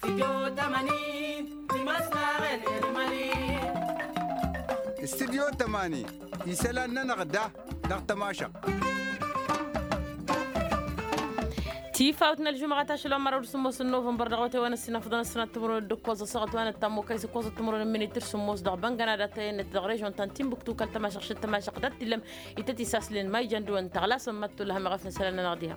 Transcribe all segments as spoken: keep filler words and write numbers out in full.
Studyo tămani isălan-nănăɣ da dăɣ-tămašăɣt. Tifawt n-ălžumăɣăt ašăl wa n-măraw d-sǝmmos n-novămbăr dăɣ-awătay wa n-ăssinăfḍăn ăssinăt timǝrwen d-ǝkkoẓ ăssaɣăt wa n-ăttamokay s-ǝkkoẓăt timǝrwen n-minit d-sǝmmos dăɣ-băngăna dăɣ-tayănnet dăɣ-režon ta n-tinbuktu kăl-tămašăɣt šăt tămašăɣt d-tillăm ităt isaslin ma ijăn dăɣ-wăn tăɣlasăn măttul hămăɣăf n-isălan-nănăɣ diha.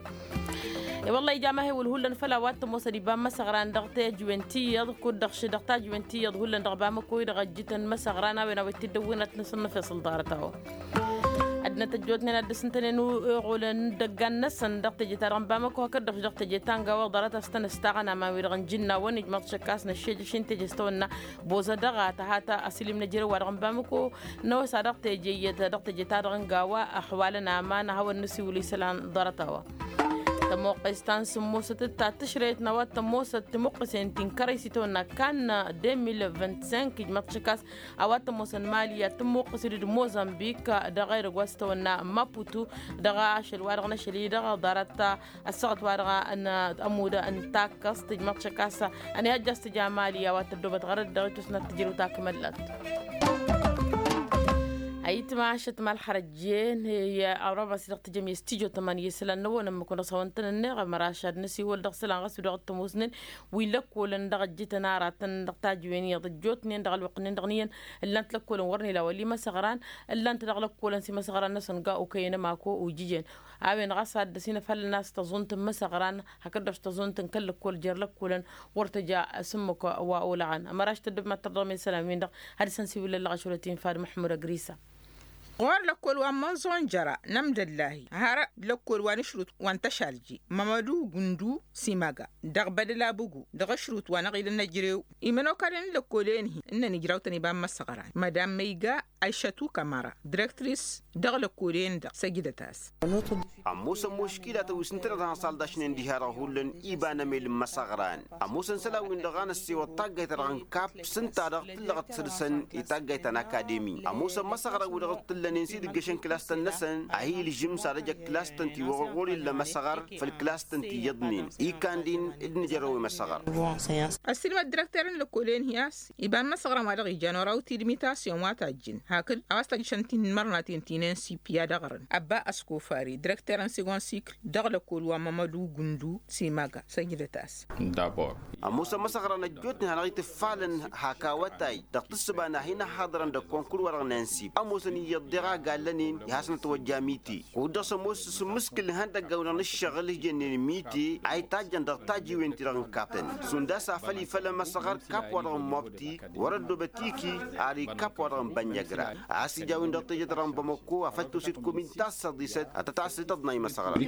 I-wălla ija amăhewăl hullan făll-a-wa t-ămoosăn iba n-imăsăɣran dăɣ-tajǝwen ti iyyăḍ kud-dăɣ š-dăɣ tajǝwen ti iyyăḍ hullan dăɣ-bamăko-i-dăɣ ăjjǝtăn imăsăɣran a-wen a-wa ittiddăwwen ad-t-năsănnăfeṣăl ḍarăt-a-wa. Ad-năt ăjjootnen ad-dăr-s ǝntănen uɣulăn n-idăggan-năsăn dăɣ-teje-ta-dăɣ n-bamăko hakd-dăɣ š-dăɣ teje ta n-gawa ḍarăt a-s tăn-ăstaɣăn aman-wi-dăɣ n-jǝnnawăn ijmăḍ šăkkas năššejăš-in teje s-tawănna boză dăɣ-a tăhat asǝlim n-ejărew-wa-dăɣ n-bamăko. Năwăsa dăɣ-teje iyyăt dăɣ-teje-ta-dăɣ n-gawa ăxwalăn aman a hawăn-nǝsiwǝl isălan ḍarăt-a-wa. Tămoqqes ta n-sǝmmosăt d-ta tǝšrăyăt n-a-wa t-ămoosăt timuqqǝsen ti n-kărăy s-itawănna kan deux mille vingt-cinq ijmăḍ šăkkas a-wa t-ămoosăn mali ad-tǝmmuqqǝs d-mozambik dăɣ-edăgg wa s-itawănna maputu dăɣ-ašăl wa dăɣ-năšăl-i dăɣ-ḍarăt ăssaɣăt wa dăɣ-ămudd n-takkăẓt ijmăḍ šăkkas ănihăjja s-tǝja mali a-wa tăddobăt ɣărăt dăɣ-itusnat tǝjrǝw takmăllat. Ayǝtma ašăt ma ălxărăjjen i-arabas-i dăɣ-tǝjăm i-studyo tămani i-isălan n-ăwwănăn măkun dăɣ-s hawăn-tăn-ănneɣ ămăraš ad-năsiwăl dăɣ-isălan ɣas wi-dăɣ t-ămoosnen wi n-lăkkolăn dăɣ-ăjjǝtăn aratăn dăɣ-tajǝwen iyyăḍ ăjjootnen dăɣ-ălwăqq-nen dăɣ-niyyăn. Ǝllan-t lăkkolăn wăr n-ila wăla imăsăɣran ǝllan-t dăɣ-lăkkolăn s-imăsăɣran-năsăn ga okăyăn ămako ojǝjăn. A-wen ɣas ad-dăr-s inăfhălăn a-s tăẓunt n-imăsăɣran hakd-dăɣ s-tăẓunt n-kăl-lăkkol jer-lăkkolăn wăr tăja s-ǝmmǝk wa olăɣăn ămăraš tăddăb mad-tărdăɣ imesălan-win-dăɣ. Ad-dăr-săn siwǝllăl dăɣ-ašăl ătinfad măḥmud ăgrisa. Ɣur-lăkkol wa n-mănẓon jăra n-amdăllahi har lăkkol wa n-ašrut wa n-tăšalji mămădu gundu simaga dăɣ-bădăl abugu dăɣ-ašrut wa n-aɣilăn ăjrew imănokalăn n-lăkkolen-hi ǝnnăn ijrawtăn iba n-imăsăɣran madam măyga. Ašătu kămăra direktris dăɣ-lăkkolen-dăɣ săjdăt-as. Ămoosăn muškilatăn wi s-ǝntăneḍ hanăṣaldašnen diha-dăɣ hullan iba n-emel n-imăsăɣran. Ămoosăn isălan-win-dăɣ a năssewăḍ taggayt-ta-dăɣ n-kap s-ǝnta-dăɣ tǝllăɣăt săr-săn i-taggayt ta n-akademi ămoosăn imăsăɣran-wi-dăɣ t-ǝllănen s-idǝggăšăn kǝlas-tăn-năsăn. A hi-ilžǝm s-ad-ăj ăkkǝlas-tăn ti-wăr-wăr illa imăsăɣăr făll-kǝlas-tăn ti iyyăḍnen. Ikandin d-nǝjărăw imăsăɣăr. Ăssiilmăd direkter n-lăkkolen hi-a-s iba n-imăsăɣran wa dăɣ-ijan oraw tidmitasyon wa tajjǝn hakd a-wa s-tajjǝšăn tinmărnaten ti n-ensipi ad-ăɣrǝn ăbba ăskofari direkter n-sigon sikl dăɣ-lăkkol wa mămădu gundu simaga săjdăt-as. Ămoosăn imăsăɣran ăjjootnen hanăɣ-itǝffalăn hak awătay dăɣ-tǝssǝba n-ad-hin-ăhhaḍărăn dăɣ-konkul-wa-dăɣ n-ensip ămoosăn iyyăḍ deɣ a gallănen i-hasnăt wăjja mite. Kud-dăɣ s-ămoos s-ǝmmǝskǝl ihăndăggan-wi-dăɣ n-ǝššăɣǝl hijănnen mite a itajjăn dăɣ-tajiwen-ti-dăɣ n-kaptăn šund a-s afăl ifăl ămăsăɣăr kap-wa-dăɣ n-mobti wăr-ăddoobăt iki ar ikap-wa-dăɣ n-bănnăgra. A-s ija a-wen-dăɣ teje-ta-dăɣ n-bamăko afăl toset komin tassăḍisăt ad-tăt-asǝtăḍna imăsăɣran.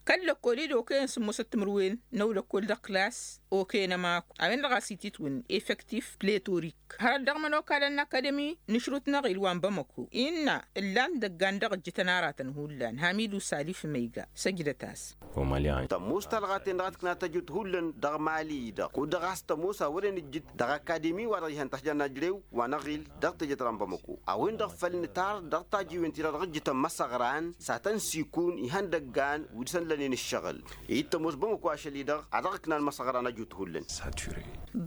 Kăl-lăkkol-i d-okăyăn sǝmmosăt timǝrwen n-ăwlăkkol dăɣ-klas okăyăn ămaku a-wen-dăɣ a-s ititwǝnna efektif pletorik hărăt dăɣ-imănokalăn n-akademi n-ašrut n-aɣil wa n-bamăko innă ǝllan idăggan dăɣ-ǝjjǝtăn aratăn hullan hamidu salif măyga săjdăt-as. Tămoos talɣa-ten-dăɣ a tǝkna tăjut hullan dăɣ-mali-i-dăɣ kud-dăɣ a-s tămoos a wăren ǝjjǝt dăɣ-akademi wa dăɣ-ihăn tašjan n-ajrew wa n-aɣil dăɣ-teje-ta-dăɣ n-bamăko. A-wen-dăɣ făl nǝtar dăɣ-tajiwen-ti-dăɣ dăɣ-ǝjjǝtăn imăsăɣran s-ad-tăn-sikun ihăndăggan wi dăr-săn lănen ǝššăɣǝl. Dd-tămoos bamăko ašăl-i-dăɣ a dăɣ-ǝknan imăsăɣran ăjut hullan.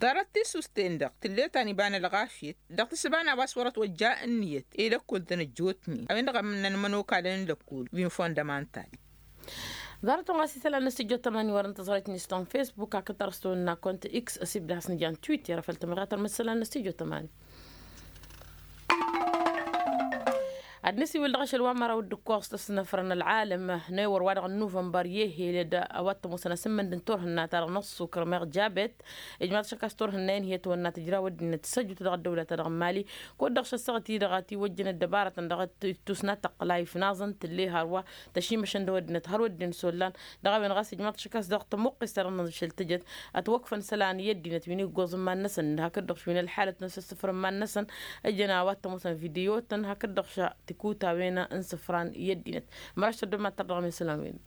Ḍarăt tissust-ten-dăɣ tǝllet-an iba n-ălɣafyăt dăɣ-tǝssǝba n-a-wa s-wăr-ătt wăjja ǝnniyăt i-lăkkol-tăn ăjjootnen a-wen-dăɣ ămnăn imănokalăn n-lăkkol wi n-fondămantal. Ḍarăt-tăn ɣas isălan n-studyo tămani wăr-ǝntăẓrăyt n-istan facebook hakd tărăstăwăn n-akont x ăsibdăɣ-as n-jan twitter făl tămɣatăr măssălan n-studyo tămani. Ad-nǝsiwǝl dăɣ-ašăl wa n-măraw d-ǝkkoẓ tăsnăfrăn ălɣalăm n-ewăr wa dăɣ-nuvănbăr i-ehel d-a-wa t-ămoosăn asǝmmǝnd n-turhǝnna-ta-dăɣ n-ăṣṣukr meɣ jabet. Ijmaḍ šăkkas turhǝnna-in hi-ătwănna tǝjrawăd-net s-ăjut dăɣ-ăddăwla-ta-dăɣ n-mali. Kud-dăɣ šăssăɣăt-i-dăɣ a tiwăjjăn ăddăbarătăn dăɣ-tusnat tăqqǝla ifnaẓăn tǝlle hărwa tăšimăšăn d-ăwăddinăt hărwa ăddin s-ollan. Dăɣ-a-wen ɣas ijmaḍ šăkkas dăɣ-tămuqqist-ta-dăɣ n-ašăl tǝjăt ătwăkfăn isălan i-ăddinăt wi n-iggoẓ n-iman-năsăn hakd-dăɣ š-wi n-ălḥalăt n-asǝssǝfrǝm iman-năsăn. Ǝjăn a-wa t-ămoosăn vidiyotăn hakd-dăɣ š-tikutawen n-isǝfran i-ăddinăt. Măraš tăddom ad-tărdăɣăm isălan-wen.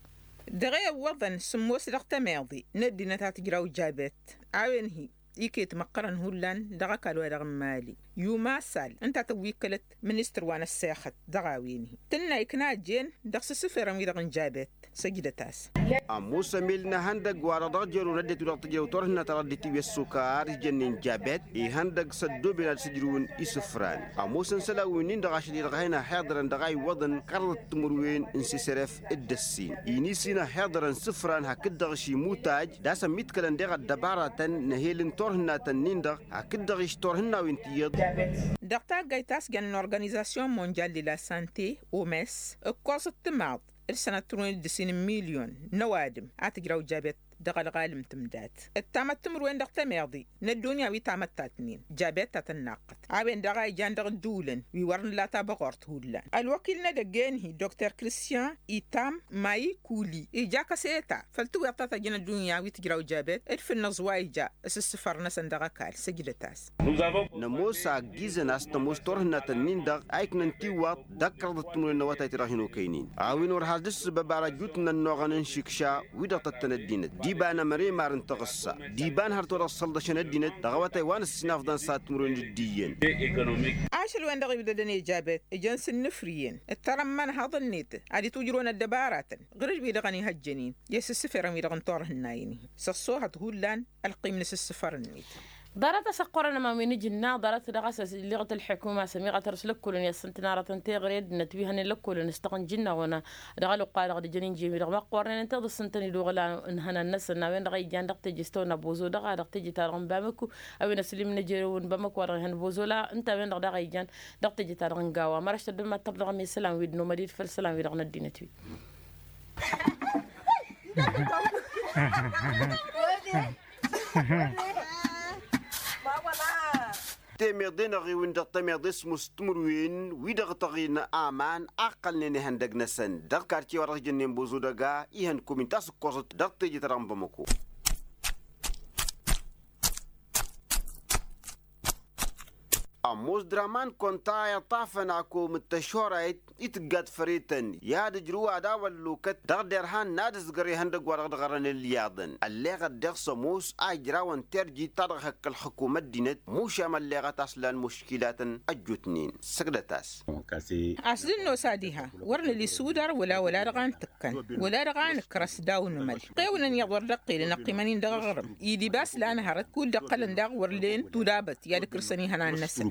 Dăɣ-e ǝwwăḍăn sǝmmos dăɣ-tămeḍe n-ăddinăt a tǝjraw jabet a-wen hi-iket măqqărăn hullan dăɣ-ăkall-wa-dăɣ n-mali. Yumasal ǝnta a tăwwikkălăt ministăr wa n-ăssexăt dăɣ-a-wen-hi tǝnna ikna jen dăɣ-s ǝssǝferăn-wi-dăɣ n-jabet. Săjdăt-as. Ămoos ămel n-ehăndăgg-wa-dăɣ dăɣ-jărăw n-ăddinăt-wi-dăɣ tǝjrăw turhǝnna ta dăɣ-dd-itǝwwi ăssokar ijănnen jabet ihăndăg s-ăddooben ad-sǝjrǝwăn isǝfran. Ămoosăn isălan-winnin-dăɣ ašăl-i-dăɣ a hin-ăhhiḍărăn dăɣ-a iwwăḍăn kăraḍăt timǝrwen n-sisăref d-ăssin-i n-isin ăhhiḍărăn isǝfran hakd-dăɣ išimutăj d-asăn mitkălăn deɣ ăddăbaratăn n-ehel n-turhǝnnatăn-nin-dăɣ hakd-dăɣ išturhǝnnawen tiyyăḍ. Dăɣ-taggayt ta s-jăn n-organizasyon monjal de la sante omes ǝkkoẓăt timaḍ d-sănăt turwen d-ǝssin n-milyon n-ăwadǝm a tǝjraw jabet dăɣ-ălɣalǝm tǝmdat d-tamăt timǝrwen dăɣ-temeḍe n-ăddunya wi tamăttat-nin jabet ta tănnaqqăt a-wen-dăɣ a ijan dăɣ-ǝddǝwǝlăn wi wăr nǝla tabăɣurt hullan ălwăkil n-edăgg-en-hi dr kristyan itam mayikuli ija kăseta făll-tǝwweḍt ta tăjjăn ăddunya wi tǝjraw jabet d-fǝnnăẓ wa ija s-ǝssǝfăr-năsăn dăɣ-ăkall săjdăt-as. Nămoos a ăgg-izăn a-s tămoos turhǝnnatăn-nin-dăɣ a iknăn tiwwaḍt d-ăkkărăḍăt timǝrwen n-awătay-ti-dăɣ hin-okăynen a-wen wăr has-dd-ǝssǝbăb ara ăjut n-ănnuɣăn n-išǝkša wi-dăɣ tăttăn ăddinăt d-iba n-ămăre imar n-taɣǝssa d-iba n-hărăt wa dăɣ-săllăšăn ăddinăt dăɣ-awătay wa n-ǝssinafḍan s-ad-timǝrwen d-iyyăn. Ašăl-wen-dăɣ ibdădăn i-jabet ǝjăn s-ǝnnǝfrǝyăn d-tarămmăn haḍăn-net ad-itwǝjrǝwăn ăddăbaratăn ɣǝr-dd wi-dăɣ ănihăjjănen i-asǝssǝferăn wi-dăɣ n-turhǝnnayen-hi s-ăṣṣoohăt hullan. Ălqim n-asǝssǝfăr-net. Ḍarăt-as ăqqurăn ămawi n-ajǝnna ḍarăt-dăɣ a-s ălleɣăt ălḥukuma s-ămiɣăt ărǝs lăkkolăn i-assǝntăn aratăn teɣăre ăddinăt wi hănen lăkkolăn s-tăɣ n-jǝnnăɣ-wăn. Dăɣ-ălwăqq-wa-dăɣ d-ǝjăn injǝyăn wi-dăɣ măqqornen ǝnta iḍǝssǝntăn idǝɣǝl a ǝnhănan-năsăn a-wen-dăɣ a ijan dăɣ-teje s-tăwănna bozo dăɣ-a dăɣ-teje-ta-dăɣ n-bamăku. A-wen ăslim n-ejărew n-bamăku wa dăɣ-ihăn bozo la ǝnta a-wen-dăɣ daɣ a ijan dăɣ-teje-ta-dăɣ n-gawa măraš tăddămăttăr dăɣ-mi isălan wi dd-nomăd-dd făll-isălan wi-dăɣ n-ăddinăt-wi. Temeḍe n-aɣiwǝn dăɣ-temeḍe s-musǝtmǝrwen wi-dăɣ tăɣin aman a ǝqqălnen ihăndăg-năsăn dăɣ-kartiye wa dăɣ-s jănnen bozo dăga ihăn komin ta s-ǝkkoẓăt dăɣ-teje-ta-dăɣ n-bamăko. Ămoos draman konta iṭṭafăn akom d-tăšorayt i-tǝggat făretăn i-ad-ǝjrǝw ad-awăllokăt dăɣ-derhan n-ad-ǝzgăr ihăndăg wa dăɣ-dăɣ ărăn ǝlyaḍăn ălleɣăt deɣ s-ămoos a ijrawăn terjit ta dăɣ-hăkk ălxǝkum ăddinăt mušam ălleɣăt a-s lan muškilatăn ăjjootnen săgdăt-as. A-s dd-nos ad-iha wăr nǝli sudar wăla wăla dăɣ-a n-tǝkkăn wăla dăɣ-a nǝkrăs daw-nǝmăl ɣewăn ănniḍ wăr dd-ăqqilăn ăqqimăn-in dăɣ-aɣrǝm idib a-s lan hărăt kud-dd-ăqqălăn daɣ wăr len tudabăt i-ad-ǝkrǝsăn ihănan-năsăn.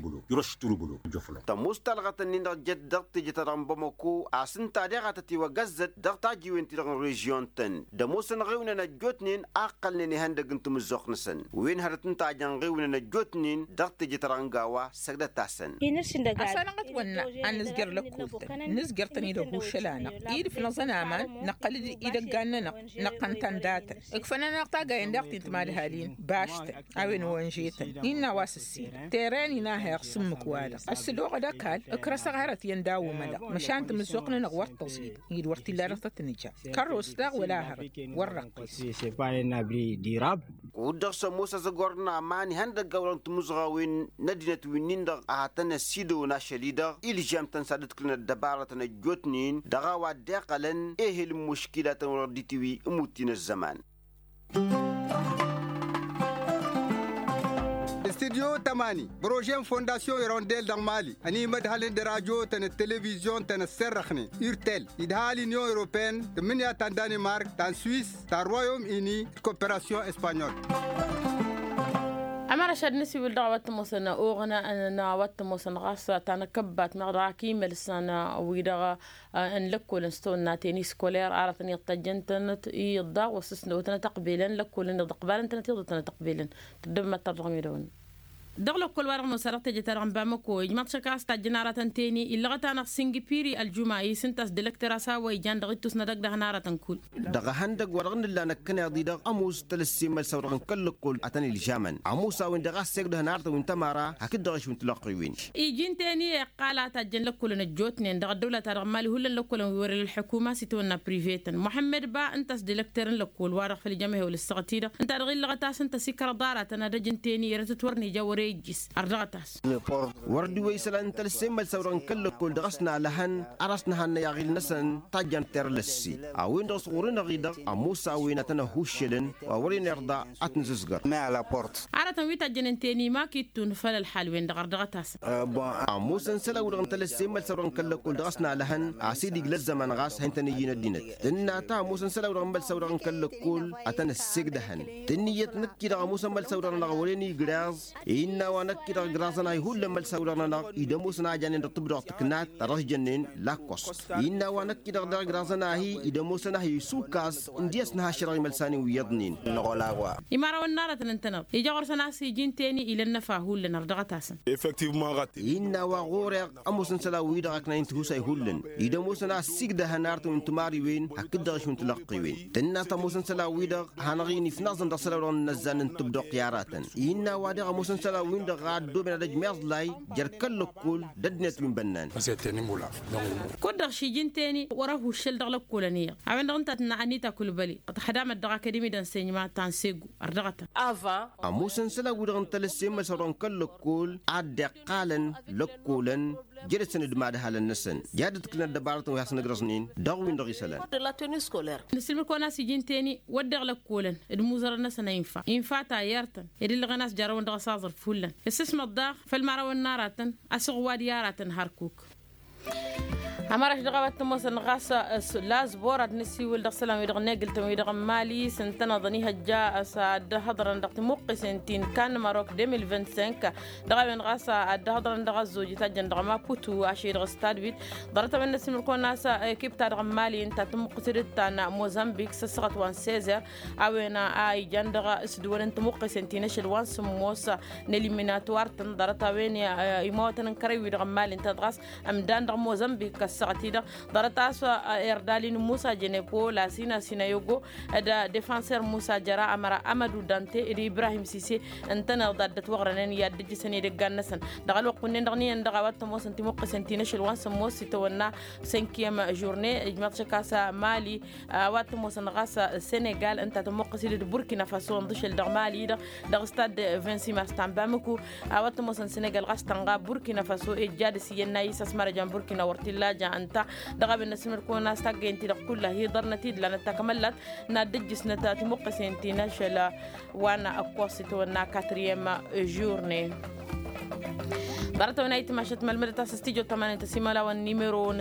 Tămoos talɣăt-ǝnnin-dăɣ jăt dăɣ-teje-ta-dăɣ n-bamăko a-s ǝnta deɣ a tăt-iwăgăzzăt dăɣ-tajiwen-ti-dăɣ n-režyon-tăn d-ămoosăn ɣiwnen ăjjootnen a ǝqqălnen ihăndăg n-tamǝzzuɣt-năsăn. Wen hărăt ǝnta a jăn ɣiwnen ăjjootnen dăɣ-teje-ta-dăɣ n-gawa săgdăt-asăn. Ăssanăɣ ătwănna ad-nǝzjăr lăkkultăn nǝzjăr-tăn-dd ăhuššăl-anăɣ idǝf-năẓăn aman năqqăl-dd idăggan-nănăɣ năqqăn-tăn datăn. Ǝkfăn-anăɣ taggayen daɣ ti n-timadhalin baštăn a-wen wănžetăn innă a-wa s-ǝssin teren-in a heɣ s-ǝmmǝk-wa-dăɣ ăssǝdoɣăd ăkall ǝkrăsăɣ hărăt iyyăn daw-imălăɣ măšan tamǝzzuɣt-nănăɣ wăr tăẓid-dd wăr t-illa dăɣ-tăt-nǝja kărros daɣ wăla hărăt wăr răqqis. Kud-dăɣ s-ămoos azăgor n-aman ihăndăgg a-wa dăɣ-tamǝzɣawen n-ăddinăt wi-nin-dăɣ a hătăn ăsidăwăn ašăl-i-dăɣ ilžam-tăn s-ad-ǝdkǝlăn ăddăbaratăn ăjjootnen dăɣ-a-wa dd-iqqălăn ehel n-muškilatăn wăr dd-itǝwǝy ămutti n-ăzzăman. Studyo tămani prože n-fondasyon irondel dăɣ-mali ănimădhălăn d-rajotăn d-televizyon-tăn ăsserrăxnen urtel idhal inyon europeen tǝmmǝnǝya ta n-danimark ta n-swis ta n-royom ini d-koperasyon espanyol. Ămăraš ad-nǝsiwǝl dăɣ-a-wa t-ămoosăn oɣna n-a-wa t-ămoosăn ɣas ta n-akăbbat meɣ dăɣ-ak imălsăn wi-dăɣ n-lăkkolăn s-tawănna teni skoler aratăn iyyăḍ tăjjăn-tănăt iyyăḍ daɣ wa s-ǝsnăwătnăt ăqbelăn lăkkolăn-năɣ d-ăqbalăn-tănăt iyyăḍ tănăt ăqbelăn. Tăddăbmăt-ta-dăɣ midăwăn dăɣ-lăkkol-wa-dăɣ ămoos a dăɣ-teje-ta-dăɣ n-bamăko ijmăḍ šăkras tajjăn aratăn teni illăɣăt-anăɣ singipiri ăljuma isǝnta a-s d-elăkter a-s a-wa ijan dăɣ-ittus n-ad-ăgg dăɣ-năratăn kull. Dăɣ-ehăndăg wa dăɣ-nǝlla năkkăneḍ-i-dăɣ ămoos tăl-ăssemăl s-a-wa dăɣ-nǝkkăl lăkkol ad-tăn-ilžamăn ămoos a-wen-dăɣ a s-egdăhăn aratăn wi n-tămara hakd-dăɣ ašwǝn tilăqqiwen. Iji n-teni iqqal a tajjăn lăkkolăn ăjjootnen dăɣ-ăddăwla-ta-dăɣ n-mali hullan lăkkolăn wi wăr-ila ălḥukuma s-itawănna privetăn muḥămmăd ba ǝnta a-s d-elăkter n-lăkkol wa-dăɣ făll-jăm ehewăl ǝssăɣăt-i-dăɣ ǝnta-dăɣ illăɣăt a-s ǝnta a-s ikrăḍ aratăn ad-ăj n-teni erătăt wăr n-ija wăr-e. ijjǝs ărdăɣăt-as. Wăr dd-iwwăy isălan n-talăsse n-imălsaw-dăɣ n-kăl-lăkkol dăɣ-s nalăhăn. Ar a-s nǝhannăy aɣil-năsăn tajjant terlăsse a-wen-dăɣ s-ɣur-enăɣ-i-dăɣ ămoos a-wen ad-tăn-ăhuššălăn wa wăren irḍa ad-t-nǝzǝzgăr. Aratăn wi tajjănen teni ma k-ittun făll-ălxal-wen-dăɣ ărdăɣăt-asăn. Ămoosăn isălan-wi-dăɣ n-talăsse n-imălsaw-dăɣ n-kăl-lăkkol dăɣ-s nalăhăn a-s idig lăzzăman ɣas a hin-tăn-ǝyyǝn ăddinăt. Tǝnna ta ămoosăn isălan-wi-dăɣ n-imălsaw-dăɣ n-kăl-lăkkol ad-tăn-ăssegdăhăn. Tǝnniyăt năkk-i-dăɣ ămoosăn imălsaw-dăɣ-nănăɣ wăren igreẓ innă a-wa năkk-i-dăɣ ǝgraẓăn-ahi hullan imălsaw-dăɣ-nănăɣ id-ămoosăn a janen dăɣ-tǝbdăɣt tǝknat ta dăɣ-s jănnen lakkos. Innă a-wa năkk-i-dăɣ dăɣ-igraẓăn-ahi id-ămoosăn-ahi isukas n-dd-iyyăs nǝhaššărăɣ imălsan-in wi iyyăḍnen. Imărawăn n-aratăn ǝntăneḍ ija ɣur-săn a-s iji n-teni ila ănnăfa hullan ărdăɣăt-asăn. Innă a-wa ɣur-eɣ ămoosăn isălan-wi-dăɣ ăknayăn tihusay hullan id-ămoosăn a ăssiigdăhăn arătăn wi n-timariwen hakd-dăɣ išwǝn tilăqqiwen. Tǝnna a-s ămoosăn isălan-wi-dăɣ hanăɣ-in ifnaẓăn dăɣ-isălan-wi-dăɣ n-inăzzan n-tǝbdăɣt i-aratăn. Innă a-wa dăɣ-ămoosăn isălan-wi-dăɣ a ăddooben ad-ăjmeẓlay jer-kăl-lăkkol d-ăddinăt wi n-bănnan. Kud-dăɣ šiji n-teni wăr-ăhuššăl dăɣ-lăkkolăn iyyăḍ a-wen-dăɣ ǝnta a tǝnna anita kulbăli tăt-ăhdamăt dăɣ-akademi d-ănsenyăma ta n-segu ărdăɣătăn. Ămoosăn isălan-wi-dăɣ n-talăsse n-imălsaw-dăɣ n-kăl-lăkkol a dd-iqqalăn lăkkolăn jere-săn d-imadhalăn-năsăn. Jad-ǝḍkǝlăn ăddăbarătăn wi hasăn-ǝgrăẓnen dăɣ-win-dăɣ isălan. Nǝsǝlmǝd-kăwăn a-s iji n-teni wădden lăkkolăn d-imuzărăn-năsăn a infa infa ta iyyăr-tăn ed ǝllăɣen a-s jarrăwăn dăɣ-asaẓrǝf hullan ǝssǝsmăḍ daɣ făll-imărawăn n-aratăn asǝɣwad i-aratăn hărkuk. Ămăraš dăɣ-a-wa t-ămoosăn ɣas la zbor ad-nǝsiwǝl dăɣ-isălan-wi-dăɣ n-egǝltăn-wi-dăɣ n-mali s-ǝntăneḍăn ihăjja a-s ad-dd-hăḍrăn dăɣ-timuqqisen ti n-kan marok deux mille vingt-cinq. Dăɣ-a-wen ɣas ad-dd-hăḍrăn dăɣ-ăzzoj itajjăn dăɣ-maputu ašăl-i-dăɣ stad wit ḍarăt-a-wen n-ăsimǝrkăwăn a-s ekip-ta-dăɣ n-mali ǝnta tǝmmuqqǝs d-ta n-mozambik s-ăssaɣăt wa n-sezer. A-wen a ijan dăɣ-s dd-wăren tǝmmuqqǝsen ti n-ašăl wa n-sǝmmos n-eliminatwar-tăn ḍarăt-a-wen imawătăn n-kărăy-wi-dăɣ n-mali ǝnta dăɣ-a-s ămdan dăɣ-mozambik ăssaɣăt-i-dăɣ. Ḍarăt a-s erdalin musa jenepo lasina sinayogo d-defanser musa jăra ămăra amădu dante d-ibrahim sise ǝntăneḍ ad-dd-ătwăɣrănen i-ad-dd-ǝjjǝsăn edăggan-năsăn. Dăɣ-ălwăqq wǝnnen-dăɣ n-iyyăn dăɣ-a-wa t-ămoosăn timuqqǝsen ti n-ašăl wa n-sǝmmos s-itawănna cinquième journée ijmaḍ šăk a-s mali a-wa t-ămoosăn ɣas senegal ǝnta tămmuqqǝs-dd d-burkina faso ǝnḍǝšăl dăɣ-mali-dăɣ dăɣ-stad vingt-six mars ta n-bamako. A-wa t-ămoosăn senegal ɣas tănɣa burkina faso ejja dăr-s iyyăn n-ayǝs a-s mărăjan burkina wăr t-illa ja ǝnta. Dăɣ-a-wen n-asǝmǝrkăwăn a-s taggăyăn-ti-dăɣ kulla hi-ḍărnăt-dd lanăt takămăllat n-ad-dd-ǝjjǝsnăt timuqqǝsen ti n-ašăl wa n-ăkkoṣ itawănna quatrième journée. Ḍarăt-a-wen a itmašăt mălmădăt a-s studio tămanin tăsimălawăn nimero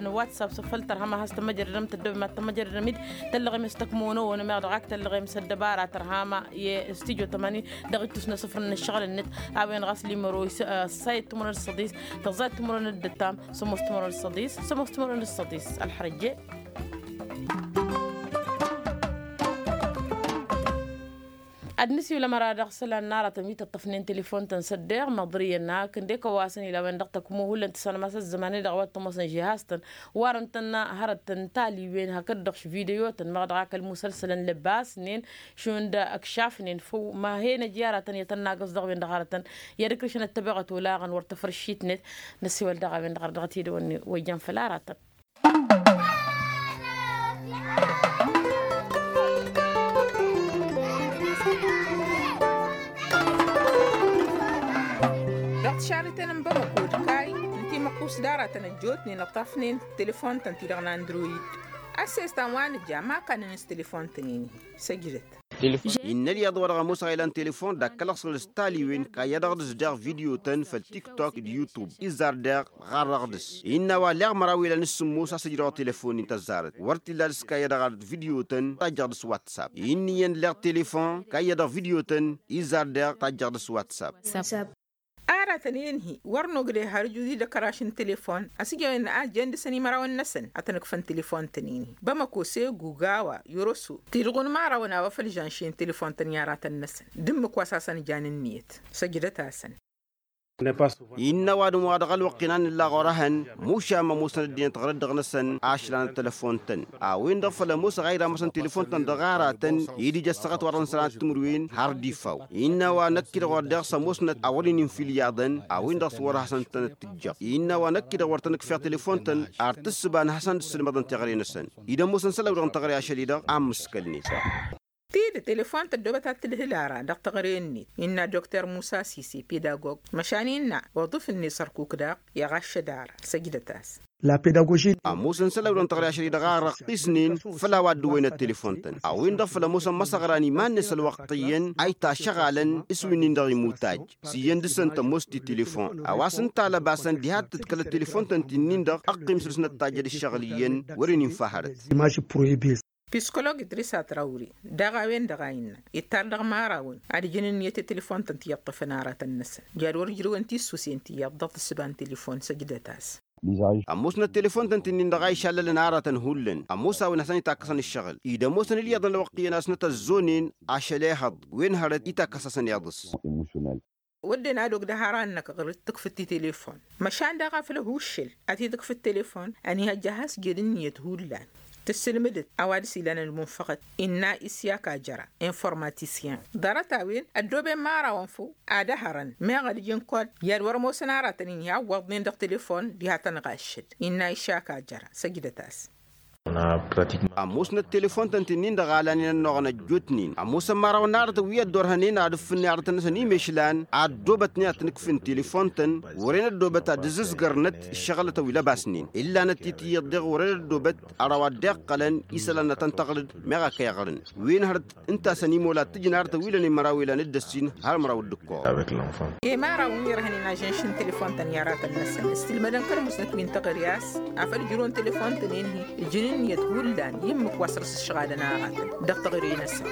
n-whatsapp s-făl tărhama has-tămăjrădăm tăddobem ad-tămăjrădăm-dd tăllăɣem s-tăkmonăwăn meɣ dăɣ-ak tăllăɣem s-ăddăbara tărhama i-studio tămanin. Dăɣ-ittus n-asǝfrăn n-ǝššăɣǝl-net a-wen ɣas limero s-sayăt timărăn d-săḍis tăẓẓayăt timărăn d-ǝttam sămoos timărăn d-săḍis sămoos timărăn d-săḍis ălxărăjje. Ad-nǝsiwǝl ămăra dăɣ-isălan n-aratăn wi tăṭṭăfnen telefon-tăn s-ăddeɣ măḍrǝyăn akǝnde kăwasăn ila a-wen-dăɣ tăkmo hullan tǝssanăm a-s ăzzăman-i-dăɣ a-wa t-ămoosăn žihaz-tăn. Warăn-tăn hărăt n-taliwen hakd-dăɣ š-video-tăn meɣ dăɣ-ak ălmusălsălăn lăbasnen šund ăkšafnen făw ma he-năj i-aratăn i-ad-tăn-nagǝẓ dăɣ-wen-dăɣ hărătăn. I-ad-ǝkrǝšăn ăttăbeɣăt olaɣăn wăr tăfrǝššit-net. Năsiwăl daɣ a-wen-dăɣ ărdăɣăt-dd wănne wa ijăn făll-aratăn. Dăɣ-tišarriten n-bamăko d-kay n-timăqqus d-aratăn ăjjootnen ăṭṭafnen telefon-tăn-ti-dăɣ n-android. Ăssestan wa nǝja ma kannăn s-telefon-tăn-in-hi săjdăt. Innă ălyaḍ wa dăɣ-ămoosăɣ a ilan telefon d-akkălăɣ s-nălăs taliwen kayya-dăɣ dăɣ-s deɣ video-tăn făll-tiktok d-yutub izzar deɣ ɣarrăɣ dăɣ-s. Innă a-wa leɣ măraw ilan s-sǝmmos a-s ǝjrăwăɣ telefon-in tăzzarăt wăr t-illa dăɣ-s kayya-dăɣ ard video-tăn tajjăɣ dăɣ-s whatsapp. Innă iyyăn leɣ telefon kayya-dăɣ video-tăn izzar deɣ tajjăɣ dăɣ-s whatsapp. Aratăn i-ǝnhǝy wăr nogdăy har ǝjud-i d-ăkăraš n-telefon ăsǝjăwen a jen dăɣ-săn imărawăn-năsăn ad-tăn-ǝkfăn telefon-tăn-in-hi bamăko segu gawa yoroso tidɣun imărawăn a-wa făl žanši n-telefon-tăn i-aratăn-năsăn d-ǝmmǝk wa s-hasăn-ǝjan ǝnniyăt. Săjdăt-asăn. Innă ăwadǝm wa dăɣ-ălwăqq-in a nǝlla ɣur-ehăn mušam ămoosăn ăddinăt ɣărăt dăɣ-năsăn ašlan ăttălăfon-tăn. A-wen-dăɣ făl ămoosăɣ a iramăsăn telefon-tăn dăɣ-aratăn ed ija ăssaɣăt wa dăɣ-nǝsălan timǝrwen har d-ifaw. Innă a-wa năkk-i-dăɣ wăr deɣ s-ămoosnăt a wăr-in-infǝl iyyăḍăn a-wen-dăɣ s-wăr hasăn-tăn-ăttǝjjăɣ. Innă a-wa năkk-i-dăɣ wăr tăn-ǝkfeɣ telefon-tăn ar tǝssǝba n-ad-hasăn-dd-sǝlmăḍăn teɣăre-năsăn. Ed ămoosăn isălan-wi-dăɣ n-teɣăre ašăl-i-dăɣ a ǝmmǝskălnen. Tidǝt telefon tăddobăt ad-tǝlhǝl ara dăɣ-teɣăre-net innă dokter musa sise pedagog măšan innă oḍǝf-net sărkuk daɣ i-aɣaššăd ara. Săjdăt-as. Ămoosăn isălan wi dăɣ-teɣăre ašăl-i-dăɣ a răqqisnen făll-a-wa dd-ǝwwăynăt telefon-tăn a-wen-dăɣ făl ămoosăn măsăɣra n-iman-net ălwăqq iyyăn a itasăɣalăn s-winnin-dăɣ imuttaj. S-iyyăn dăɣ-săn tămoos ti telefon a-wa s-ǝnta lăbasăn diha d-tǝdkălăt telefon-tăn ti-nin-dăɣ ăqqim săr-s năttajjăd ǝššăɣǝl iyyăn wăren infa hărăt. Psikolog idris atrawri daɣ a-wen-dăɣ a innă ittar dăɣ-imărawăn ad-ǝjǝn ǝnniyăt i-telefon-tăn ti iyyăḍ tăfăn aratăn-năsăn. Jad wăr ǝjrǝwăn tissusen ti iyyăḍ dăɣ-tǝssǝba n-telefon săjdăt-as. Ămoosnăt telefon-tăn ti-nin-dăɣ a išallălăn aratăn hullan ămoos a-wen hasăn-itakkăsăn ǝššăɣǝl-i d-ămoosăn ǝlyaḍăn ălwăqq iyyăn a-s nătăzzoonen ašăl ehăḍ wen hărăt itakkăs-asăn iyyăḍ-s. Wădden ad-ogdăh ara ănnăk ɣur-dd tǝkfǝd ti telefon măšan daɣ afăl ăhuuššǝl ad-t-tǝkfǝd telefon ănihăjja has-jed ǝnniyăt hullan. Tǝssǝlmǝdăt a-wa dăr-s ilan ălmunfăɣăt innă isyaka jăra informatisyen. Ḍarăt-a-wen ăddooben imărawăn făw ad-ăhărăn meɣ ad-ǝjǝn kod i-ad-wăr ămoosăn aratăn-in ihawwăḍnen dăɣ-telefon diha tăn-ɣaššăd innă isyaka jăra. Săjdăt-as. Ămoosnăt telefon-tăn ti-nin-dăɣ a lanen ănnuɣăn ăjjootnen ămoosăn imărawăn n-aratăn wi ăddorhănen ad-ǝffǝnnen aratăn-năsăn imešlan ad-ăddoobătnen ad-tăn-ǝkfǝn telefon-tăn. Wăren ăddoobăt ad-ǝzzǝzgărnăt ǝššăɣǝlătăn wi lăbasnen ǝllanăt-i tiyyăḍ deɣ wăren ăddoobăt ărraw ad-dd-iqqălăn isălan ad-tăn-tăɣrǝd meɣ a kăy-ăɣrǝn wen hărăt ǝnta a-s ănimola ad-t-ǝjǝn aratăn wi lănen măraw ilan d-ăssin har măraw d-ǝkkoɣ. Imărawăn wi ărhănen ažănš n-telefon-tăn i-aratăn-năsăn s-tǝlmădăn kăl-musnăt wi n-teɣăre a-s afăl ǝjrǝwăn telefon-tăn-en-hi ǝjǝn ǝnniyăt hullan i-ǝmmǝk wa săr-s ǝššăɣalăn aratăn dăɣ-teɣăre-năsăn.